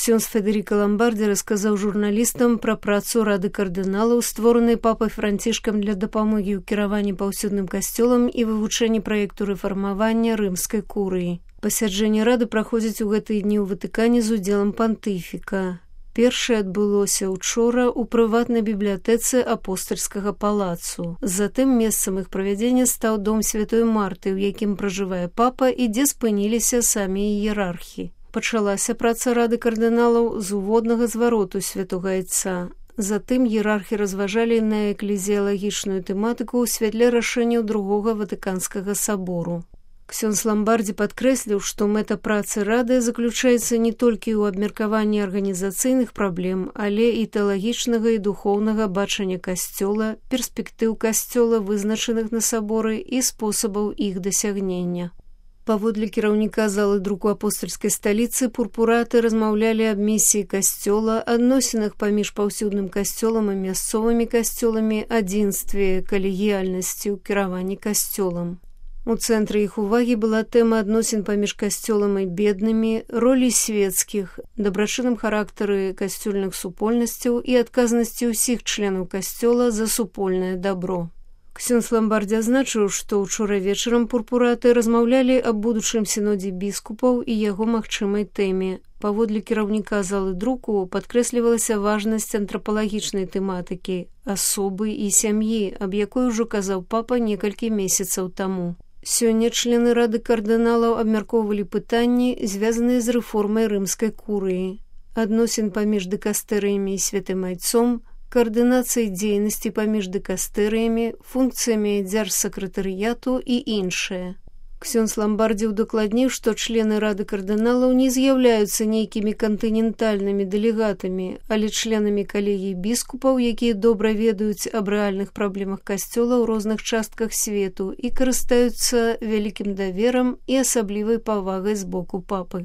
Ксёндз Федэрыка Ламбардзі расказаў журналістам пра працу Рады кардыналаў, створанай папай Францішкам для дапамогі ў кіраванні паўсюдным касцёлам і вывучэнні праекту рэфармавання рымскай курыі. Пасяджэнне Рады праходзіць у гэтыя дні ў Ватыкане з удзелам пантыфіка. Першае адбылося учора ў прыватнай бібліятэцы апостальскага палацу. Затым месцам іх правядзення стаў дом Святой Марты, у якім пражывае папа і дзе спыніліся самі іерархі. Пачалася праца Рады кардыналаў з уводнага звароту святога айца. Затым іерархі разважалі на эклезіялагічную тэматыку ў святле рашэнняў другога Ватыканскага сабору. Ксёндз Ламбардзі падкрэсліў, што мэта працы Рады заключаецца не толькі ў абмеркаванні арганізацыйных праблем, але і тэалагічнага і духоўнага бачання касцёла, перспектыў касцёла, вызначаных на саборы і спосабаў іх дасягнення. Паводле кіраўніка залы друку апостальскай сталіцы пурпураты размаўлялі аб місіі касцёла, адносінах паміж паўсюдным касцёлам і мясцовымі касцёламі, адзінстве, калегіяльнасці ў кіраванні касцёлам. У цэнтры іх увагі была тэма адносін паміж касцёлам і беднымі, ролі свецкіх, дабрачынным характары касцёльных супольнасцяў і адказнасці ўсіх членаў касцёла за супольнае дабро. Ксёндз Ламбардзі азначыў, што ўчора вечарам пурпураты размаўлялі аб будучым сінодзе біскупаў і яго магчымай тэме. Паводле кіраўніка залы друку падкрэслівалася важнасць антрапалагічнай тэматыкі, асобы і сям'і, аб якой ужо казаў папа некалькі месяцаў таму. Сёння члены Рады кардыналаў абмяркоўвалі пытанні, звязаныя з рэформай рымскай курыі, адносін паміж дыкастэрыямі і святым айцом, каардынацыі дзейнасці паміж дыкастэрыямі, функцыямі дзяржсакратарыяту і іншае. Ксёндз Ламбардзі удакладніў, што члены Рады кардыналаў не з'яўляюцца нейкімі кантынентальнымі дэлегатамі, але членамі калегій біскупаў, якія добра ведаюць аб рэальных праблемах касцёла ў розных частках свету і карыстаюцца вялікім даверам і асаблівай павагай з боку папы.